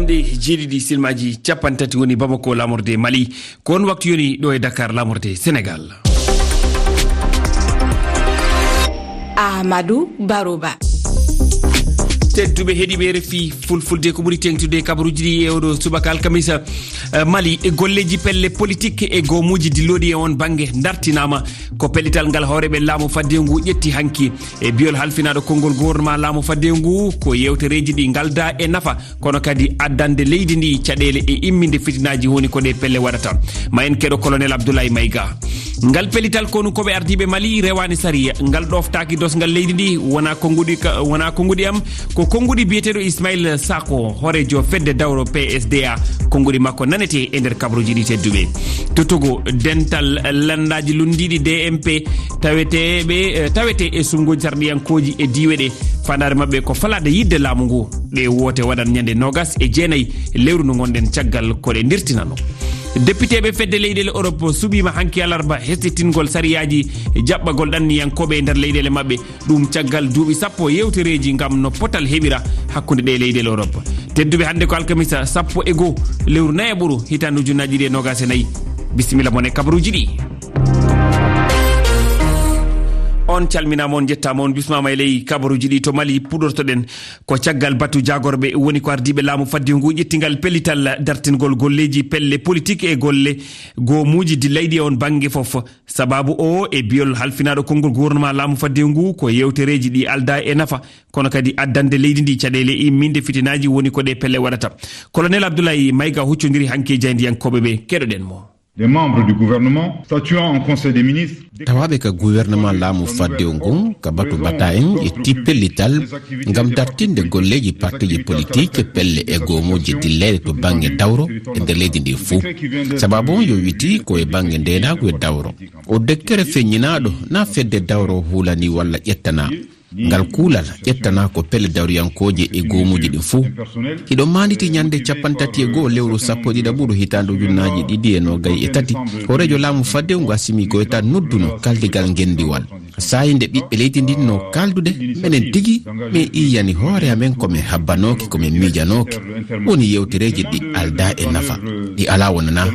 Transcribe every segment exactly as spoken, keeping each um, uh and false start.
Nde jeeɗiɗi silmaji capanɗe tati woni Bamako, laamorde Mali. Ko on waktu yoni ɗo e Dakar, laamorde Sénégal. Amadou Baroba. Tedduɓe heɗiiɓe R F I Fulfulde, ko ɓuri teeŋtude e kabaruuji ɗi e oɗo subaka alkamisa. Eh, Mali, e golleeji pelle politik e goomuuji dillooɗi e on bannge dartinaama. Ko pellital ngal hooreeɓe laamu faddewu ngu ƴetti hanki. E biyol halfinaaɗo konngol gouvernement laamu faddewu ngu, ko yeewtereeji ɗi ngaldaa e nafa, kono kadi addande leydi ndi caɗeele e imminde fitinaaji woni ko ɗe pelle waɗata. Ma en keɗo Colonel Abdoulaye Maïga. Ngal pellital konu koɓe ardiiɓe Mali rewaani sariya, ngal ɗoftaaki dosngal leydi ndi, wonaa konnguɗi ka, wonaa konnguɗi am, ko konnguɗi biyeteeɗo Ismail Sako, hooreejo fedde dawro P S D A, konnguɗi makko nanete e nder kabaruuji ɗi tedduɓe. To Togo, dental lanndaaji lunndiiɗi D M P taweteeɓe, eh, tawete e suɓngooji sarɗiyankooji e diiwe ɗe, faandaare maɓɓe ko falaade yiɗde laamu ngu. Ɗe woote waɗan ñande noogas e jeenayi lewru ndu ngonɗen caggal ko ɗe ndirtinano. Depiteeɓe fedde leyɗeele Europe suɓiima hanki alarba hestitingol sariyaaji jaɓɓagol ɗanniyankooɓe e nder leyɗeele maɓɓe. Ɗum caggal duuɓi sappo yewtereeji ngam no potal heɓira hakkunde ɗe leyɗeele Europe. Tedduɓe, hannde ko alkamisa sappo e goo lewru nayaɓuru hitaande ujunnaaji ɗiɗi e noogas e nayi. Bisimilla mon e kabaruuji ɗi. On calminaama, on njettaama, on bismaama e ley kabaruuji ɗi. To Mali puɗortoɗen, ko caggal batu jaagorɓe woni ko ardiiɓe laamu faddewu ngu ƴettingal pellital dartingol golleeji pelle politik e golle goomuuji dillayɗi e on bannge fof. Sabaabu o e biyol halfinaaɗo konngol gouvernement laamu faddewu ngu ko yewtereeji ɗi aldaa e nafa, kono kadi addande leydi ndi caɗeele imminde fitinaaji woni ko ɗe pelle waɗata. Colonel Abdoulaye Maïga huccondiri hanki e jaayndiyankooɓe ɓe, keɗoɗen mo. Les membres du gouvernement statuant en conseil des ministres. Tawaaɓe ka gouvernement laamu faddewu ngun, ka batu bata en ƴetti pellital ngam dartinde golleeji partiiji politik, pelle e goomuuji dilleede to bannge dawro e nder leydi ndi fuu. Sabaabu on yowiti ko e bannge ndeenaagu e dawro. O dekkere feññinaaɗo na fedde dawro hulani walla ƴettana. Ngal kuulal ƴettana ko pelle dawriyankooje e goomuuji ɗin fuu. Hiɗo maanditi ñande capanɗe tati e goo lewru sappo e ɗiɗaɓuru hitaande ujunnaaji ɗiɗi e noogay e tati, hooreejo laamu faddewu ngu Assimi Goïta nodduno kaldigal ngenndiwal. Saa'i nde ɓiɓɓe leydi ndin no kaaldude, menen tigi, min iyani hoore amen ko min habbanooki, ko min miijanooki. Woni yewtereeji ɗi aldaa e nafa, ɗi alaa wonanaa.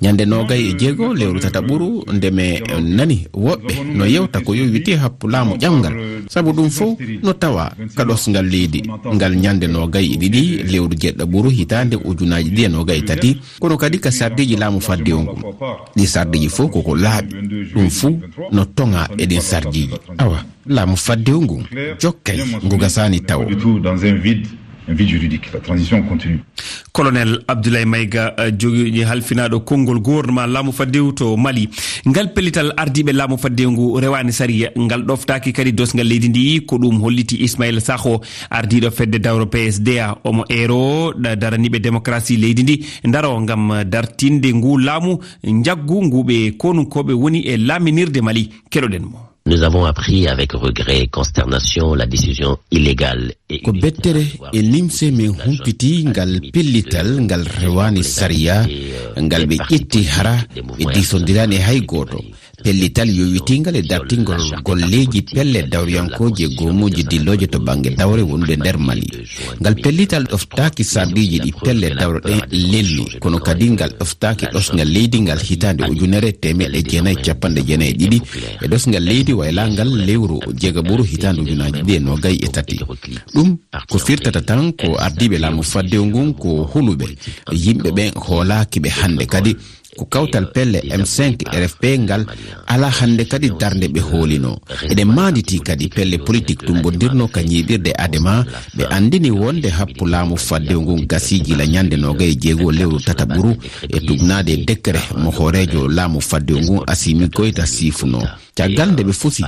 Ñande noogay e jeego lewru tataɓuru, nde mi nani woɓɓe no yewta ko yowiti happu laamu ƴamngal, sabu ɗum fof no tawa ka ɗosngal leydi ngal ñande noogay e ɗiɗi lewru jeeɗiɗaɓuru hitaande ujunnaaji ɗiɗi e noogay e tati, kono kadi ka sarɗiiji laamu faddewu ngu. Ɗi sarɗiiji fof koko laaɓi, ɗum fuu no toŋa e ɗin sarɗiiji. Awa, laamu faddewu ngu jokkay ngu gasaani tawo. Retour dans un vide, un vide juridique. La transition continue. Colonel Abdoulaye Maïga, eh, jogi halfinaaɗo konngol gouvernement laamu faddewu to Mali. Ngal pellital ardiiɓe laamu faddewu ngu rewaani sariya, ngal ɗoftaaki kadi dosngal leydi ndi, ko ɗum holliti Ismail Sakho, ardiiɗo fedde dawro P S D A. Omo eero da-, daraniiɓe démocratie leydi ndi, ndaro ngam dartinde ngu laamu njaggu ngu ɓe konunkooɓe woni e laaminirde Mali. Keɗoɗen mo. Nous avons appris avec regret et consternation la décision illégale et unilatérale. Ko bettere e nimse min humpiti ngal pellital ngal rewaani sariya, ngal ɓe ƴetti hara ɓe diisondiraani e hay gooto. Pellital yowitingal e dartingol golleeji pelle dawriyankooji e goomuuji dillooje to bannge dawre wonude nder Mali. Ngal pellital ɗoftaaki sarɗiiji ɗi pelle dawro ɗen lelni, kono kadi ngal ɗoftaaki ɗosngal leydi ngal hitaande ujunere teemeɗɗe jeenayi capanɗe jeenayi e ɗiɗi e ɗosngal leydi waylaangal lewru jeegaɓuru hitaande ujunnaaji ɗiɗi e noogay e tati. Ɗum ko firtata tan ko ardiiɓe laamu faddewu ngun ko huluɓe, yimɓe ɓen hoolaaki ɓe hannde kadi. Ko kawtal pelle M cinq R F P ngal alaa hannde kadi darnde ɓe hoolinoo. Eɗen maanditi kadi pelle politik tumbondirnoo ka ñiiɓirde Adema, ɓe anndini wonde happu laamu faddewu ngun gasii gila ñande noogay e jeego lewru tataɓuru e tugnaade e dekkere mo hooreejo laamu faddewu ngun Assimi Goïta siifunoo. Caggal nde ɓe fusi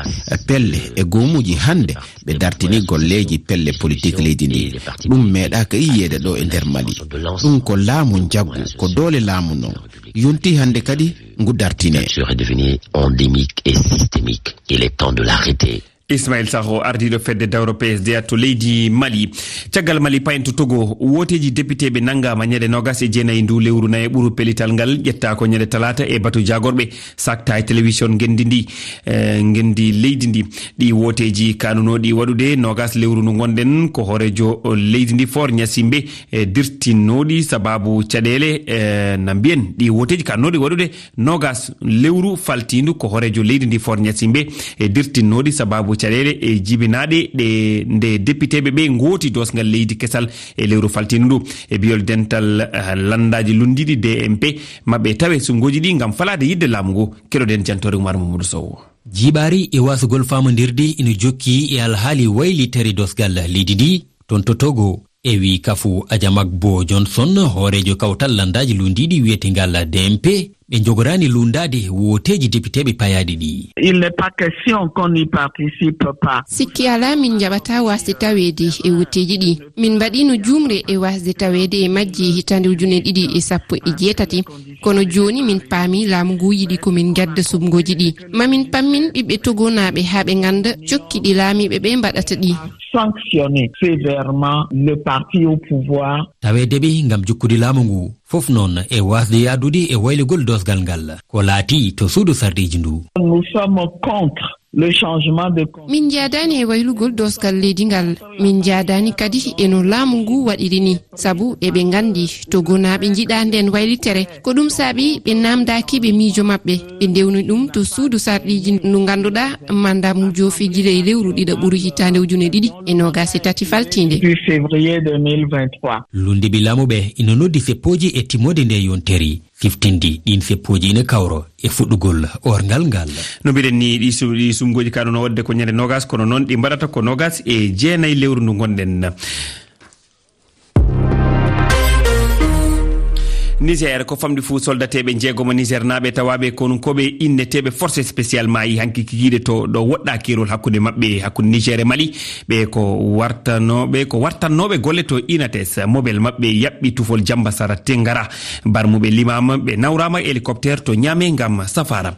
pelle e goomuuji hannde, ɓe dartini golleeji pelle politik leydi ndi. Ɗum meeɗaaka yiyeede ɗo e nder Mali. Ɗum ko laamu njaggu, ko doole laamu non. Yonti hannde kadi ngu dartine. Est devenu endémique et systémique. Il est temps de l'arrêter. Ismail Sakho, ardiiɗo fedde dawro P S D A to leydi Mali. Caggal Mali, payen to Togo, wooteeji depiteeɓe nanngaama ñande noogas e jeenayi ndu lewru nayi ɓuru pellital ngal, ƴettaa ko ñande talaata e batu jaagorɓe sakta e telewison ngenndi ndi, eh, ngenndi leydi ndi. Ɗi wooteeji kanunooɗi waɗude noogas lewru ndu ngonɗen, ko hooreejo leydi ndi Faure Gnassingbé, e dirtinnooɗi sababu caɗeele, eh, na mbiyen ɗi wooteeji kanunooɗi waɗude noogas lewru faltiindu, ko hooreejo leydi ndi Faure Gnassingbé e dirtinnooɗi sababu caɗeele e jibinaaɗe ɗe nde depiteeɓe ɓe ngooti doosgal leydi kesal e lewru faltiindu ndu. E biyol dental, eh, lanndaaji lunndiiɗi D M P, maɓɓe tawe sumgooji ɗi ngam falaade yiɗde laamu ngu. Keɗoɗen jantoore Umar Mamadou Sow. Jiiɓaari e waasugol faamondirde ina jokki e alhaali waylitere doosgal leydi ndi toon to Togo. E wii Kafu Ajamak Bo Johnson, hooreejo kawtal lanndaaji lunndiiɗi wiyeteengal D M P, ɓe njogoraani lunndaade wooteeji depiteeɓe payaaɗi ɗi. Il n'est pas question qu'on n'y participe pas. Sikki alaa, min njaɓataa waasde taweede e wooteeji ɗi. Min mbaɗiino juumre e waasde taweede e majji e hitaande ujune ɗiɗi e sappo e jeetati. Kono jooni min paami laamu ngu yiɗi ko min ngadda sumgooji ɗi. Ma min pammin ɓiɓɓe togonaaɓe haa ɓe ngannda cokki ɗi laamiiɓe ɓe mbaɗata ɗi. Sanctionner sévèrement le parti au pouvoir. Taweede ɓe ngam jokkude laamu ngu, fof noon e waasde yahdude e waylugol doosgal ngal, ko laatii to suudu sarɗiiji ndu. Nous sommes contre le changement de. Min njaadaani e waylugol doosgal leydi ngal. Min njaadaani kadi e no laamu ngu waɗiri ni. Sabu eɓe nganndi togonaaɓe njiɗaa nden waylitere. Ko ɗum saabi ɓe naamndaaki ɓe miijo maɓɓe. Ɓe ndewni ɗum to suudu sarɗiiji ndu ngannduɗaa mandat mum joofi gila e lewru ɗiɗaɓuru hitaande ujune ɗiɗi e noogas e tati faltiinde. Du février deux mille vingt-trois. Lunndiiɓe laamu ɓe ina noddi seppooji e timmoode nde yontere. Siftinde ɗiin seppooji ina kawro e fuɗɗugol orngal ngal. No mbiɗen ni, ɗi su-, ɗi sumgooji kano no waɗde ko ñande noogas, kono noon ɗi mbaɗata ko noogas e jeenayi lewru ndu ngonɗen. Niger, ko famɗi fuu soldateeɓe njeegomo Niger naaɓe tawaaɓe konunkooɓe inneteeɓe force spéciale maayi hanki kikiiɗe to ɗo woɗɗaa keerol hakkunde maɓɓe, hakkunde Niger e Mali. Ɓe ko wartanooɓe, ko wartannooɓe golle to Inates. Mobel maɓɓe yaɓɓi tufol Jambasara Tengara. Barmuɓe limaama, ɓe nawraama hélicoptère to Niamey ngam safaara.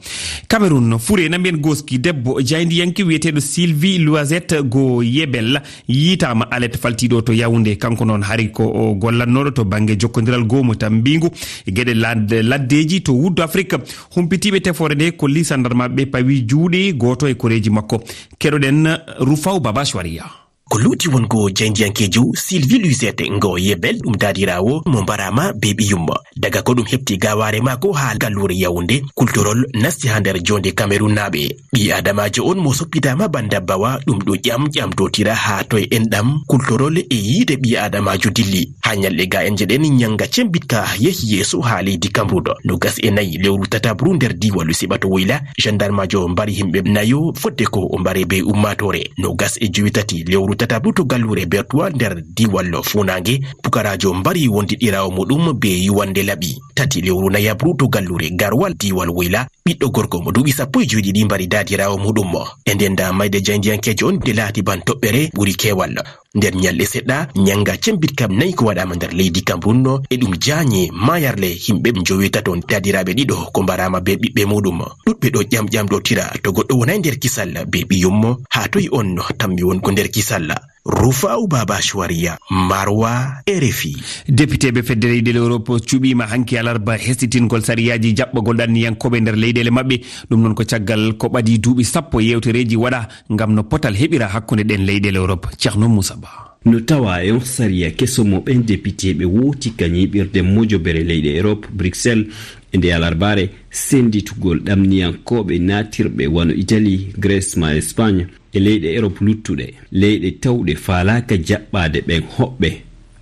Cameroun, fure na mbiyen gooski, debbo jaayndiyanke wiyeteeɗo Sylvie Loisette Go Yebel yiitaama alet faltiiɗo to Yaoundé. Kanko noon hari ko o gollannooɗo to bannge jokkondiral goomu tambiingu e geɗe lad-, laddeeji to Wuddu Afrik. Humpitiiɓe tefoore nde kolli sandarmaaɓe ɓe pawi juuɗe gooto e koreeji makko. Keɗoɗen Rufaw Baba Shwariya. Ko luuti won ko jaayndiyankeejo Sylvie Luisette Ngo Yebel, ɗum daadiraawo mo mbaraama be ɓiyum. Daga ko ɗum heɓti gawaare maako haa galluure Yaoundé, kultorol nasti haa nder joonde Cameroun naaɓe. Ɓii Adamaajo on mo soppitaama banda bawa, ɗum ɗo ƴam ƴamtotira haa toye enɗam, kultorol e yiide ɓii Adamaajo dilli. Haa ñalɗe ga en jeɗen ñanga cembitka yehi yeeso haa leydi Cameroun. Nogas e nayi lewru tataɓru nder diiwal Siɓato Woyla, gendarmeajo mbari himɓe nayo fodde ko o mbare be ummaatoore. Nogas e jowi tati lewru tataɓru to galluure Bertoua nder diiwal Funaange, pukaraajo mbari wondiɗɗiraawo muɗum be yuwande laɓi. Tati lewru nayaɓru to galluure Garwal diiwal Woyla, ɓiɗɗo gorko mo duuɓi sappo e joweɗiɗi mbari daadiraawo muɗum. E nden da mayde jaayndiyankeejo on nde laati ban toɓɓere ɓuri keewal. Nder ñalɗe seɗɗa, ñannga cembiɗka nayi ko waɗaama nder leydi Cameroun no, e ɗum jaañe maayarle himɓe njoweetato, daadiraaɓe ɗiɗo ko mbaraama be ɓiɓɓe muɗum. Ɗuɗɓe ɗo ƴamƴamɗotira to goɗɗo wonay nder kisal be ɓiyum, haa toy on tammi won ko nder kisal. Rufa'u Baba Shuwariya, Marwa, R F I. Depiteeɓe fedde leyɗeele Europe cuɓiima hanki alarba hesitingol sariyaaji jaɓɓagol ɗanniyankooɓe nder leyɗeele maɓɓe. Ɗum noon ko caggal ko ɓadii duuɓi sappo yewtereeji waɗa ngam no potal heɓira hakkunde ɗen leyɗeele Europe. Ceerno Moussa Ba. No tawa e on sariya keso mo ɓen depiteeɓe wooti ka ñiiɓirde mojobere leyɗe Europe, Bruxelles, e nde alarbaare, sennditugol ɗamniyankooɓe naatirɓe wano Italie, Grèce maa Espagne, e leyɗe Europe luttuɗe. Leyɗe tawɗe faalaaka jaɓɓaade ɓen hoɓɓe,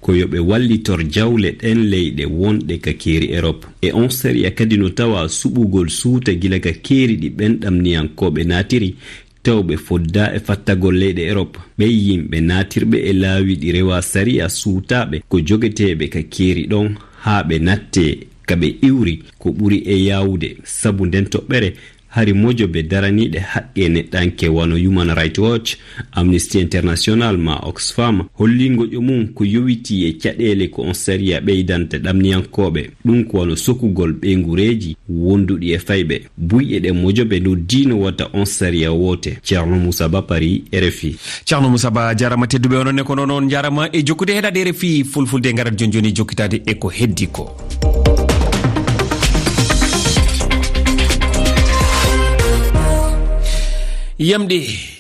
ko yo ɓe wallitor jawle ɗen leyɗe wonɗe ka keeri Europe. E on sariya kadi no tawa suɓugol suuta gila ka keeri ɗi ɓen ɗamniyankooɓe naatiri, tawɓe foddaa e fattagol leyɗe Europe. Ɓen yimɓe naatirɓe e laawi ɗi rewaa sariya suutaaɓe ko jogeteeɓe ka keeri ɗon haa ɓe nattee ka ɓe iwri ko ɓuri e yaawude, sabu nden toɓɓere Hari mojobe daraniiɗe haqqe neɗɗanke wano Human Rights Watch, Amnesty International ma Oxfam holli ngoƴo mum ko yowitii e caɗeele ko on sariya ɓeydanta ɗamniyankooɓe, ɗum ko wano sokugol ɓeynguureeji wonduɗi e fayɓe. Buyɗe ɗen mojobe noddiino wota on sariya woote. Ceerno Moussa Ba, Paris, R F I. Ceerno Moussa Ba, jarama. Tedduɓe, onon ne ko noon, on jarama e jokkude heɗade R F I Fulfulde. Ngarat joni joni jokkitaade e ko heddi ko. Yamɗi.